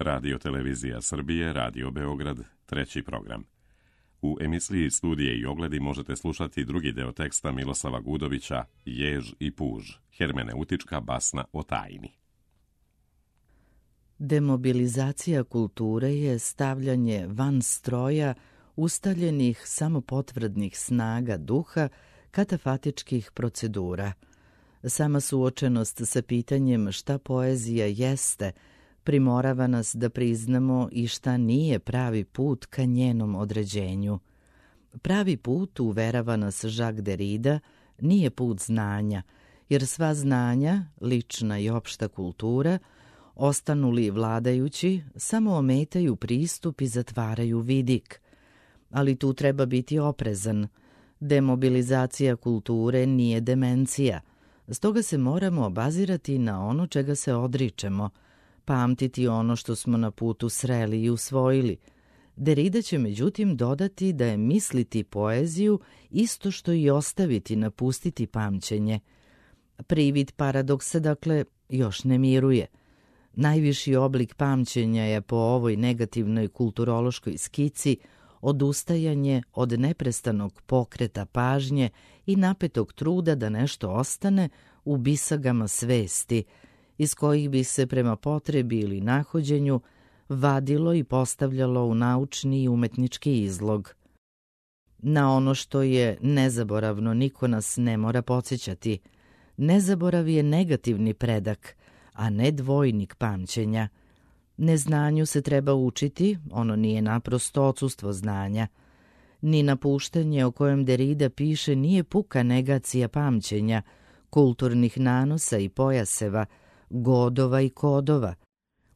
Radio Televizija Srbije, Radio Beograd, treći program. U emisiji Studije i ogledi možete slušati drugi deo teksta Miloslava Gudovića Jež i puž, hermeneutička basna o tajni. Demobilizacija kulture je stavljanje van stroja ustaljenih samopotvrdnih snaga duha katafatičkih procedura. Sama suočenost sa pitanjem šta poezija jeste primorava nas da priznamo i šta nije pravi put ka njenom određenju. Pravi put, uverava nas Jacques Derrida, nije put znanja, jer sva znanja, lična i opšta kultura, ostanu li vladajući, samo ometaju pristup i zatvaraju vidik. Ali tu treba biti oprezan. Demobilizacija kulture nije demencija, stoga se moramo obazirati na ono čega se odričemo, pamtiti ono što smo na putu sreli i usvojili. Derrida će međutim dodati da je misliti poeziju isto što i ostaviti, napustiti pamćenje. Privid paradoksa, dakle, još ne miruje. Najviši oblik pamćenja je po ovoj negativnoj kulturološkoj skici odustajanje od neprestanog pokreta pažnje i napetog truda da nešto ostane u bisagama svesti, iz kojih bi se prema potrebi ili nahođenju vadilo i postavljalo u naučni i umetnički izlog. Na ono što je nezaboravno niko nas ne mora podsjećati. Nezaborav je negativni predak, a ne dvojnik pamćenja. Neznanju se treba učiti, ono nije naprosto odsustvo znanja. Ni napuštanje o kojem Derrida piše nije puka negacija pamćenja, kulturnih nanosa i pojaseva, godova i kodova.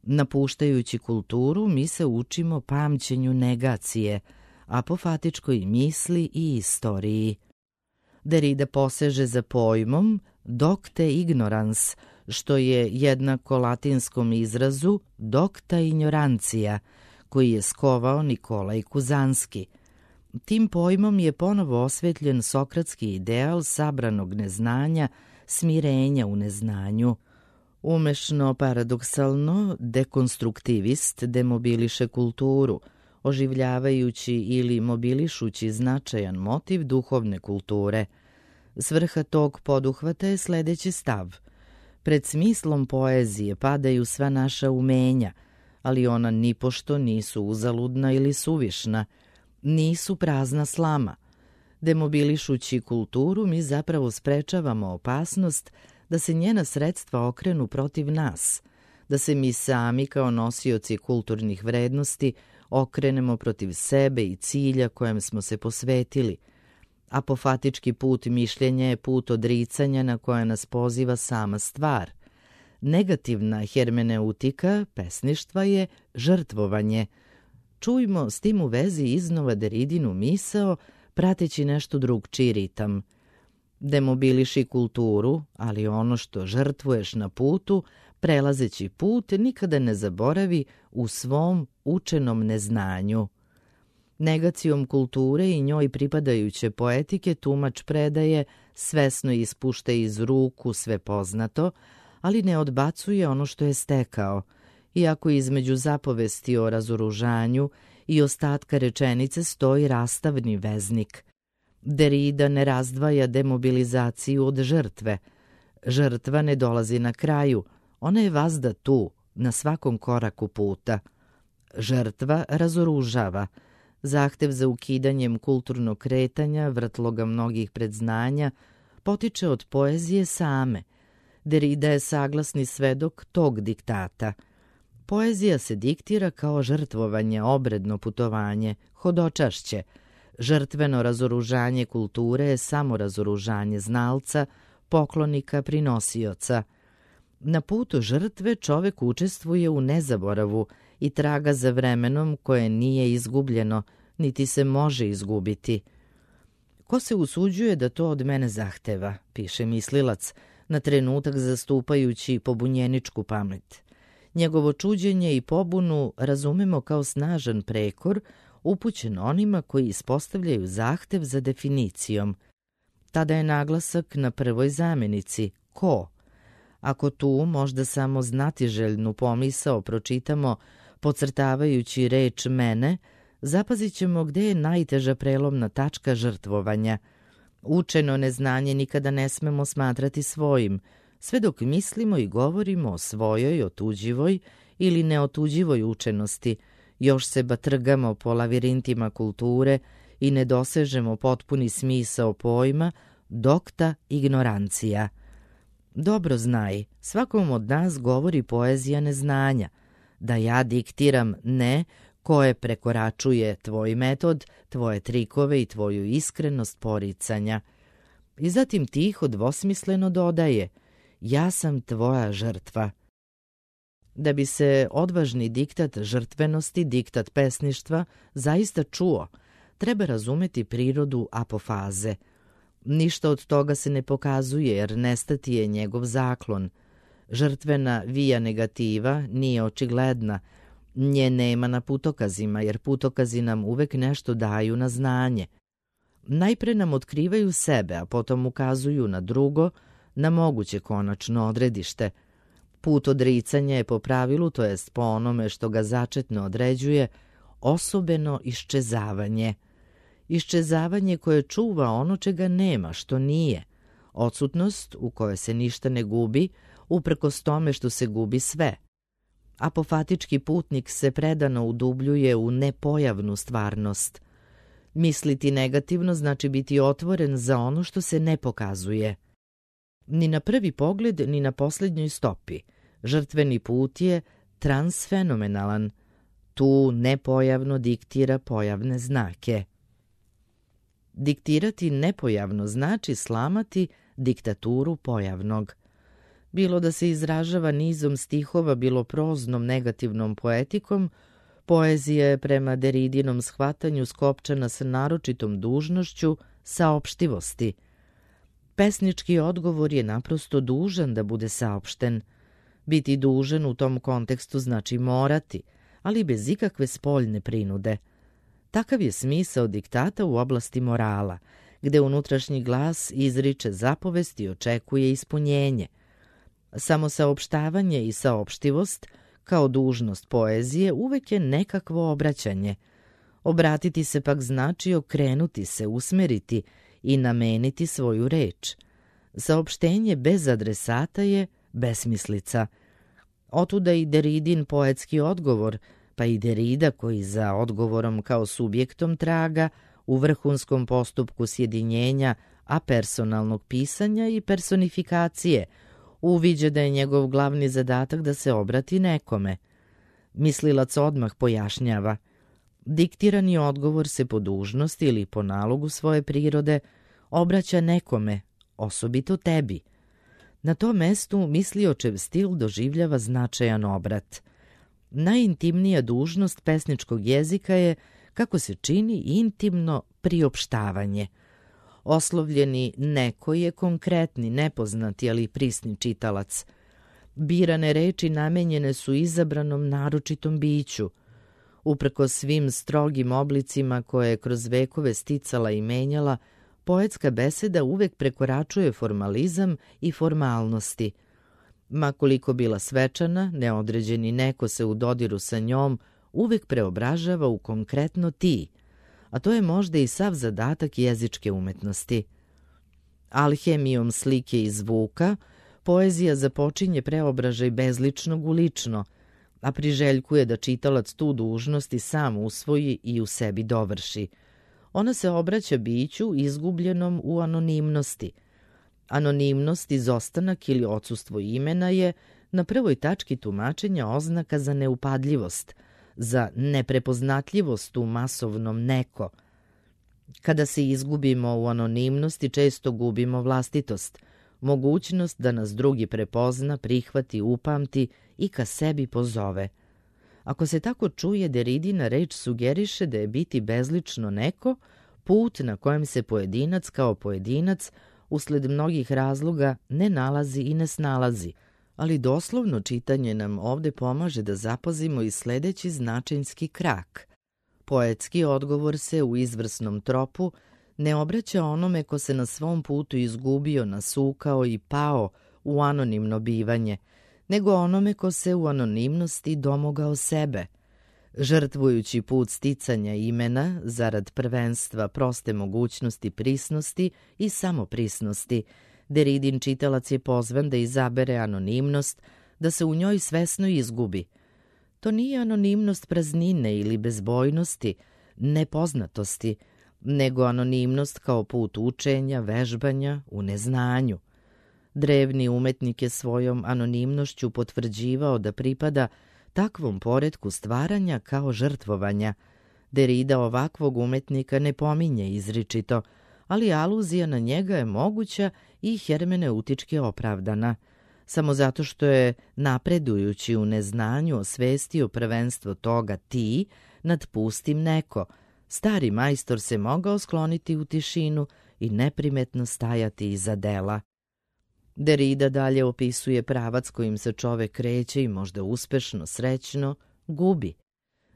Napuštajući kulturu, mi se učimo pamćenju negacije, apofatičkoj misli i istoriji. Derrida poseže za pojmom docte ignorans, što je jednako latinskom izrazu docta ignorantia, koji je skovao Nikolaj Kuzanski. Tim pojmom je ponovo osvetljen sokratski ideal sabranog neznanja, smirenja u neznanju. Umešno paradoksalno, dekonstruktivist demobiliše kulturu, oživljavajući ili mobilišući značajan motiv duhovne kulture. Svrha tog poduhvata je sledeći stav. Pred smislom poezije padaju sva naša umenja, ali ona nipošto nisu uzaludna ili suvišna, nisu prazna slama. Demobilišući kulturu, mi zapravo sprečavamo opasnost da se njena sredstva okrenu protiv nas, da se mi sami kao nosioci kulturnih vrednosti okrenemo protiv sebe i cilja kojem smo se posvetili. Apofatički put mišljenja je put odricanja na koja nas poziva sama stvar. Negativna hermeneutika pesništva je žrtvovanje. Čujmo s tim u vezi iznova Derridinu misao, prateći nešto drugčiji ritam. Demobiliši kulturu, ali ono što žrtvuješ na putu, prelazeći put, nikada ne zaboravi u svom učenom neznanju. Negacijom kulture i njoj pripadajuće poetike tumač predaje, svesno ispušta iz ruku sve poznato, ali ne odbacuje ono što je stekao, iako između zapovesti o razoružanju i ostatka rečenice stoji rastavni veznik. Derrida ne razdvaja demobilizaciju od žrtve. Žrtva ne dolazi na kraju, ona je vazda tu, na svakom koraku puta. Žrtva razoružava. Zahtev za ukidanjem kulturnog kretanja, vrtloga mnogih predznanja, potiče od poezije same. Derrida je saglasni svedok tog diktata. Poezija se diktira kao žrtvovanje, obredno putovanje, hodočašće. Žrtveno razoružanje kulture je samo razoružanje znalca, poklonika, prinosioca. Na putu žrtve čovek učestvuje u nezaboravu i traga za vremenom koje nije izgubljeno, niti se može izgubiti. Ko se usuđuje da to od mene zahteva, piše mislilac, na trenutak zastupajući pobunjeničku pamet. Njegovo čuđenje i pobunu razumemo kao snažan prekor upućen onima koji ispostavljaju zahtev za definicijom. Tada je naglasak na prvoj zamenici, ko. Ako tu možda samo znatiželjnu pomisao pročitamo Podcrtavajući reč mene, zapazit ćemo gde je najteža prelomna tačka žrtvovanja. Učeno neznanje nikada ne smemo smatrati svojim, sve dok mislimo i govorimo o svojoj, otuđivoj ili neotuđivoj učenosti, još se batrgamo po lavirintima kulture i ne dosežemo potpuni smisao pojma, dokta ignorancija. Dobro znaj, svakom od nas govori poezija neznanja, da ja diktiram ne koje prekoračuje tvoj metod, tvoje trikove i tvoju iskrenost poricanja. I zatim tiho dvosmisleno dodaje, ja sam tvoja žrtva. Da bi se odvažni diktat žrtvenosti, diktat pesništva, zaista čuo, treba razumeti prirodu apofaze. Ništa od toga se ne pokazuje jer nestati je njegov zaklon. Žrtvena via negativa nije očigledna, nje nema na putokazima jer putokazi nam uvek nešto daju na znanje. Najpre nam otkrivaju sebe, a potom ukazuju na drugo, na moguće konačno odredište. Put odricanja je po pravilu, to jest po onome što ga začetno određuje, osobeno iščezavanje. Iščezavanje koje čuva ono čega nema, što nije. Odsutnost u kojoj se ništa ne gubi, uprkos tome što se gubi sve. Apofatički putnik se predano udubljuje u nepojavnu stvarnost. Misliti negativno znači biti otvoren za ono što se ne pokazuje. Ni na prvi pogled, ni na posljednjoj stopi. Žrtveni put je transfenomenalan. Tu nepojavno diktira pojavne znake. Diktirati nepojavno znači slamati diktaturu pojavnog. Bilo da se izražava nizom stihova, bilo proznom negativnom poetikom, poezija je prema Deridinom shvatanju skopčana sa naročitom dužnošću saopštivosti. Pesnički odgovor je naprosto dužan da bude saopšten. Biti dužan u tom kontekstu znači morati, ali bez ikakve spoljne prinude. Takav je smisao diktata u oblasti morala, gde unutrašnji glas izriče zapovest i očekuje ispunjenje. Samo saopštavanje i saopštivost, kao dužnost poezije, uvek je nekakvo obraćanje. Obratiti se pak znači okrenuti se, usmeriti i nameniti svoju reč. Saopštenje bez adresata je besmislica. Otuda i Deridin poetski odgovor, pa i Derida koji za odgovorom kao subjektom traga u vrhunskom postupku sjedinjenja apersonalnog pisanja i personifikacije, uviđa da je njegov glavni zadatak da se obrati nekome. Mislilac odmah pojašnjava. Diktirani odgovor se po dužnosti ili po nalogu svoje prirode obraća nekome, osobito tebi. Na tom mestu misliočev stil doživljava značajan obrat. Najintimnija dužnost pesničkog jezika je, kako se čini, intimno priopštavanje. Oslovljeni neko je konkretni, nepoznati, ali prisni čitalac. Birane reči namenjene su izabranom naročitom biću. Uprkos svim strogim oblicima koje je kroz vekove sticala i menjala, poetska beseda uvek prekoračuje formalizam i formalnosti. Ma koliko bila svečana, neodređeni neko se u dodiru sa njom uvek preobražava u konkretno ti, a to je možda i sav zadatak jezičke umetnosti. Alhemijom slike i zvuka, poezija započinje preobražaj bezličnog u lično, a priželjkuje da čitalac tu dužnost i sam usvoji i u sebi dovrši. Ona se obraća biću izgubljenom u anonimnosti. Anonimnost, izostanak ili odsustvo imena je na prvoj tački tumačenja oznaka za neupadljivost, za neprepoznatljivost u masovnom neko. Kada se izgubimo u anonimnosti, često gubimo vlastitost, mogućnost da nas drugi prepozna, prihvati, upamti i ka sebi pozove. Ako se tako čuje, Deridina reč sugeriše da je biti bezlično neko put na kojem se pojedinac kao pojedinac usled mnogih razloga ne nalazi i ne snalazi, ali doslovno čitanje nam ovde pomaže da zapazimo i sledeći značajnski krak. Poetski odgovor se u izvrsnom tropu ne obraća onome ko se na svom putu izgubio, nasukao i pao u anonimno bivanje, nego onome ko se u anonimnosti domogao sebe. Žrtvujući put sticanja imena zarad prvenstva proste mogućnosti prisnosti i samoprisnosti, Derridin čitalac je pozvan da izabere anonimnost, da se u njoj svesno izgubi. To nije anonimnost praznine ili bezbojnosti, nepoznatosti, nego anonimnost kao put učenja, vežbanja u neznanju. Drevni umetnik je svojom anonimnošću potvrđivao da pripada takvom poretku stvaranja kao žrtvovanja. Derrida ovakvog umetnika ne pominje izričito, ali aluzija na njega je moguća i hermeneutički opravdana. Samo zato što je, napredujući u neznanju, osvestio prvenstvo toga ti nad pustim neko, stari majstor se mogao skloniti u tišinu i neprimetno stajati iza dela. Derrida dalje opisuje pravac kojim se čovek kreće i možda uspešno, srećno, gubi.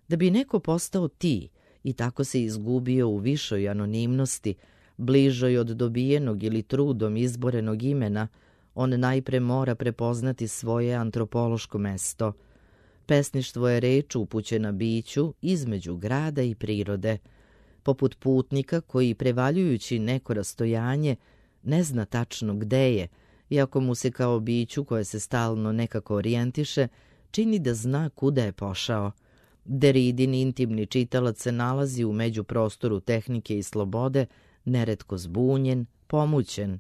Da bi neko postao ti i tako se izgubio u višoj anonimnosti, bližoj od dobijenog ili trudom izborenog imena, on najpre mora prepoznati svoje antropološko mesto. Pesništvo je reč upućena biću između grada i prirode, poput putnika koji, prevaljujući neko rastojanje, ne zna tačno gde je, iako mu se kao biću koje se stalno nekako orijentiše, čini da zna kuda je pošao. Derridin intimni čitalac se nalazi u međuprostoru tehnike i slobode, neretko zbunjen, pomućen.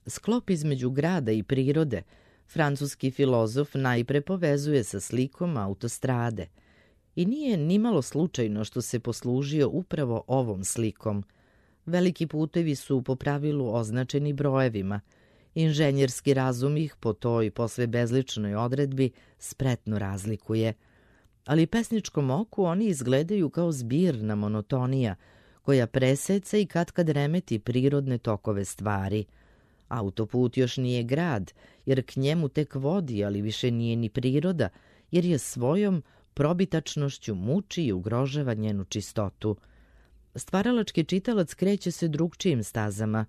Sklop između grada i prirode francuski filozof najpre povezuje sa slikom autostrade. I nije nimalo slučajno što se poslužio upravo ovom slikom. Veliki putevi su po pravilu označeni brojevima. Inženjerski razum ih po toj posve bezličnoj odredbi spretno razlikuje. Ali pesničkom oku oni izgledaju kao zbirna monotonija, koja preseca i katkad remeti prirodne tokove stvari. Autoput još nije grad, jer k njemu tek vodi, ali više nije ni priroda, jer je svojom probitačnošću muči i ugrožava njenu čistotu. Stvaralački čitalac kreće se drugčijim stazama.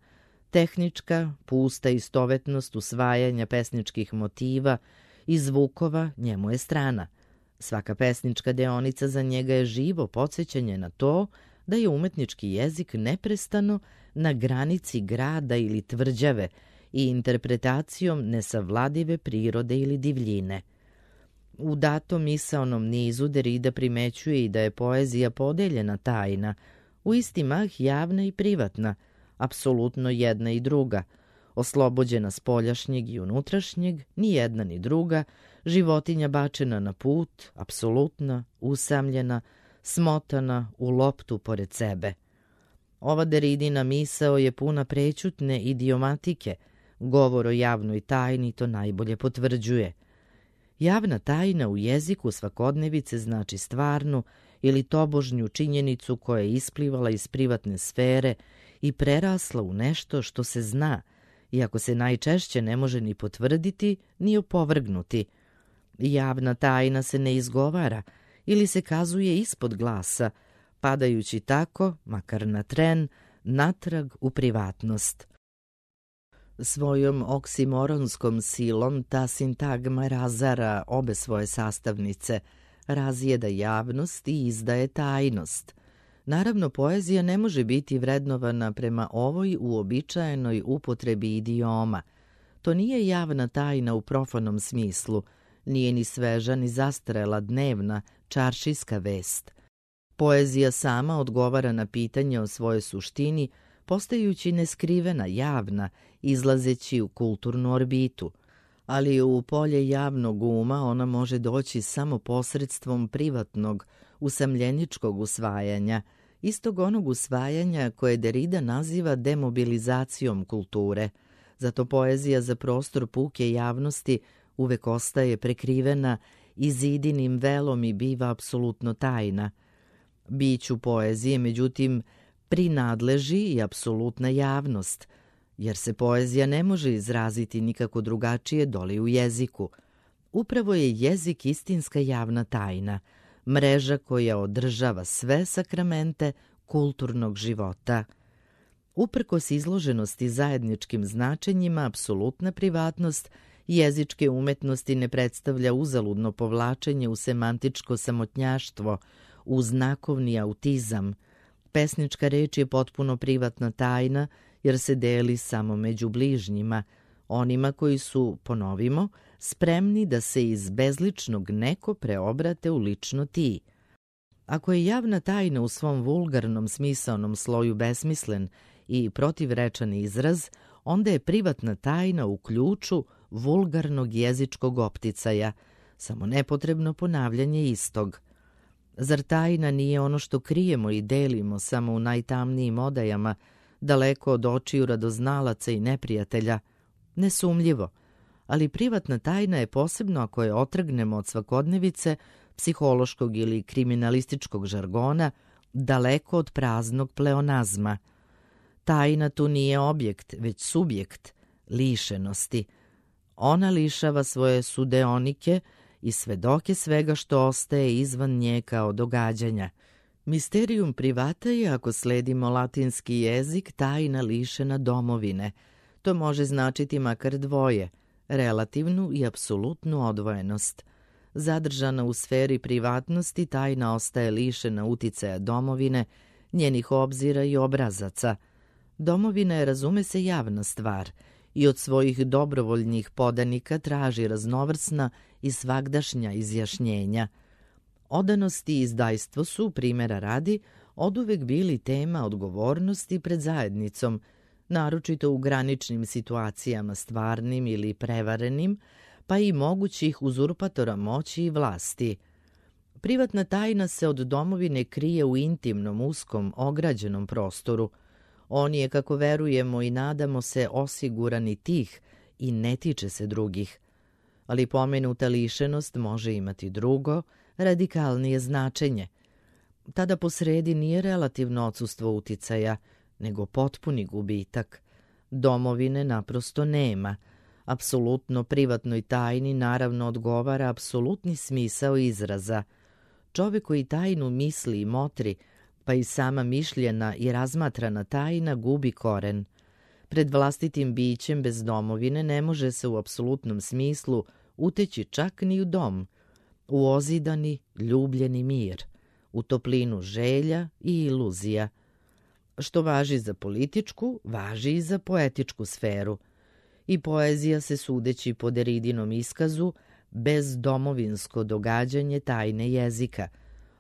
Tehnička, pusta istovetnost usvajanja pesničkih motiva i zvukova njemu je strana. Svaka pesnička deonica za njega je živo podsjećanje na to da je umetnički jezik neprestano na granici grada ili tvrđave i interpretacijom nesavladive prirode ili divljine. U datom misaonom nizu Derrida primećuje i da je poezija podeljena tajna, u isti mah javna i privatna, apsolutno jedna i druga, oslobođena spoljašnjeg i unutrašnjeg, ni jedna ni druga, životinja bačena na put, apsolutna, usamljena, smotana u loptu pored sebe. Ova Derridina misao je puna prećutne idiomatike, govor o javnoj tajni to najbolje potvrđuje. Javna tajna u jeziku svakodnevice znači stvarnu ili tobožnju činjenicu koja je isplivala iz privatne sfere i prerasla u nešto što se zna, iako se najčešće ne može ni potvrditi ni opovrgnuti. Javna tajna se ne izgovara ili se kazuje ispod glasa, padajući tako, makar na tren, natrag u privatnost. Svojom oksimoronskom silom ta sintagma razara obe svoje sastavnice, razjeda javnost i izdaje tajnost. Naravno, poezija ne može biti vrednovana prema ovoj uobičajenoj upotrebi idioma. To nije javna tajna u profanom smislu, nije ni sveža ni zastarela dnevna, čaršijska vest. Poezija sama odgovara na pitanje o svojoj suštini, postajući neskrivena, javna, izlazeći u kulturnu orbitu. Ali u polje javnog uma ona može doći samo posredstvom privatnog, usamljeničkog usvajanja, istog onog usvajanja koje Derrida naziva demobilizacijom kulture. Zato poezija za prostor puke javnosti uvek ostaje prekrivena i zidinim velom i biva apsolutno tajna. Biću poezije, međutim, prinadleži i apsolutna javnost, jer se poezija ne može izraziti nikako drugačije doli u jeziku. Upravo je jezik istinska javna tajna, mreža koja održava sve sakramente kulturnog života. Uprkos izloženosti zajedničkim značenjima, apsolutna privatnost Jezičke umetnosti ne predstavlja uzaludno povlačenje u semantičko samotnjaštvo, u znakovni autizam. Pesnička reč je potpuno privatna tajna, jer se deli samo među bližnjima, onima koji su, ponovimo, spremni da se iz bezličnog neko preobrate u lično ti. Ako je javna tajna u svom vulgarnom smisaonom sloju besmislen i protivrečan izraz, onda je privatna tajna u ključu vulgarnog jezičkog opticaja, samo nepotrebno ponavljanje istog. Zar tajna nije ono što krijemo i delimo samo u najtamnijim odajama, daleko od očiju radoznalaca i neprijatelja? Nesumljivo, ali privatna tajna je posebno ako je otrgnemo od svakodnevice, psihološkog ili kriminalističkog žargona, daleko od praznog pleonazma. Tajna tu nije objekt, već subjekt, lišenosti. Ona lišava svoje sudeonike i svedoke svega što ostaje izvan nje kao događanja. Misterium privata je, ako sledimo latinski jezik, tajna lišena domovine. To može značiti makar dvoje, relativnu i apsolutnu odvojenost. Zadržana u sferi privatnosti, tajna ostaje lišena uticaja domovine, njenih obzira i obrazaca. Domovina je, razume se, javna stvar i od svojih dobrovoljnih podanika traži raznovrsna i svagdašnja izjašnjenja. Odanost i izdajstvo su, primjera radi, oduvek bili tema odgovornosti pred zajednicom, naročito u graničnim situacijama stvarnim ili prevarenim, pa i mogućih uzurpatora moći i vlasti. Privatna tajna se od domovine krije u intimnom, uskom, ograđenom prostoru. On je, kako verujemo i nadamo se, osiguran i tih i ne tiče se drugih. Ali pomenuta lišenost može imati drugo, radikalnije značenje. Tada posredi nije relativno odsustvo uticaja, nego potpuni gubitak. Domovine naprosto nema. Apsolutno privatnoj tajni naravno odgovara apsolutni smisao izraza. Čovjek koji tajnu misli i motri, pa i sama mišljena i razmatrana tajna gubi koren. Pred vlastitim bićem bez domovine ne može se u apsolutnom smislu uteći čak ni u dom, u ozidani, ljubljeni mir, u toplinu želja i iluzija. Što važi za političku, važi i za poetičku sferu. I poezija se, sudeći po Deridinom iskazu, bez domovinsko događanje tajne jezika.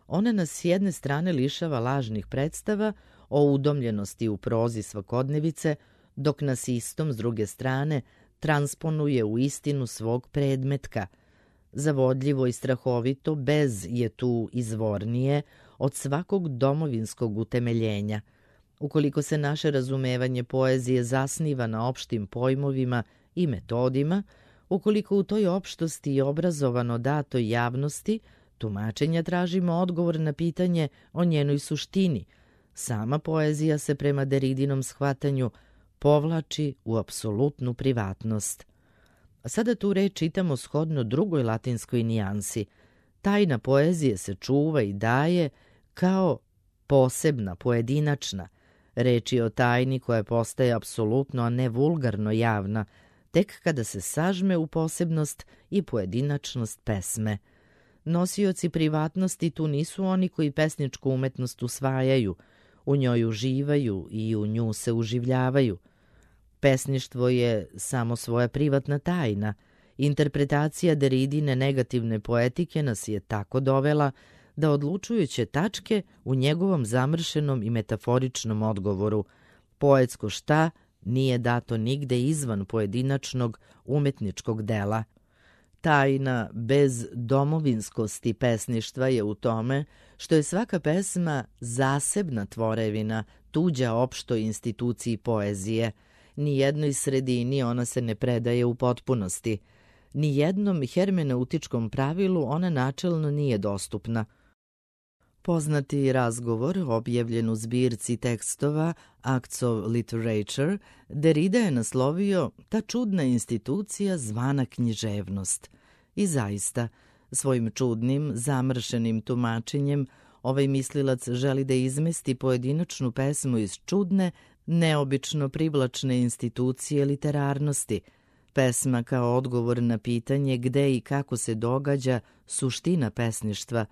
Ona nas s jedne strane lišava lažnih predstava o udomljenosti u prozi svakodnevice, dok nas istom s druge strane transponuje u istinu svog predmetka. Zavodljivo i strahovito bez je tu izvornije od svakog domovinskog utemeljenja. Ukoliko se naše razumevanje poezije zasniva na opštim pojmovima i metodima, ukoliko u toj opštosti i obrazovano datoj javnosti tumačenja tražimo odgovor na pitanje o njenoj suštini, sama poezija se prema Deridinom shvatanju povlači u apsolutnu privatnost. Sada tu reč čitamo shodno drugoj latinskoj nijansi. Tajna poezije se čuva i daje kao posebna, pojedinačna. Reč je o tajni koja postaje apsolutno, a ne vulgarno javna, tek kada se sažme u posebnost i pojedinačnost pesme. Nosioci privatnosti tu nisu oni koji pesničku umetnost usvajaju, u njoj uživaju i u nju se uživljavaju. Pesništvo je samo svoja privatna tajna. Interpretacija Deridine negativne poetike nas je tako dovela da odlučujuće tačke u njegovom zamršenom i metaforičnom odgovoru poetsko šta nije dato nigde izvan pojedinačnog umetničkog dela. Tajna bez domovinskosti pesništva je u tome što je svaka pesma zasebna tvorevina, tuđa opštoj instituciji poezije. Ni jednoj sredini ona se ne predaje u potpunosti. Ni jednom hermeneutičkom pravilu ona načelno nije dostupna. Poznati razgovor, objavljen u zbirci tekstova Acts of Literature, Derrida je naslovio ta čudna institucija zvana književnost. I zaista, svojim čudnim, zamršenim tumačenjem, ovaj mislilac želi da izmesti pojedinačnu pesmu iz čudne, neobično privlačne institucije literarnosti, Pesma kao odgovor na pitanje gde i kako se događa suština pesništva,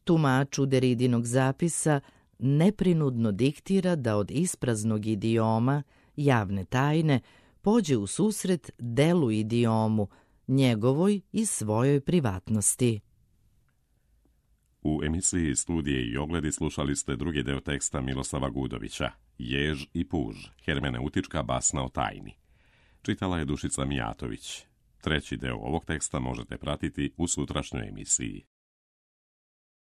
tumaču Deridinog zapisa neprinudno diktira da od ispraznog idioma, javne tajne, pođe u susret delu idiomu, njegovoj i svojoj privatnosti. U emisiji Studije i ogledi slušali ste drugi deo teksta Miloslava Gudovića, Jež i puž, hermeneutička basna o tajni. Čitala je Dušica Mijatović. Treći deo ovog teksta možete pratiti u sutrašnjoj emisiji.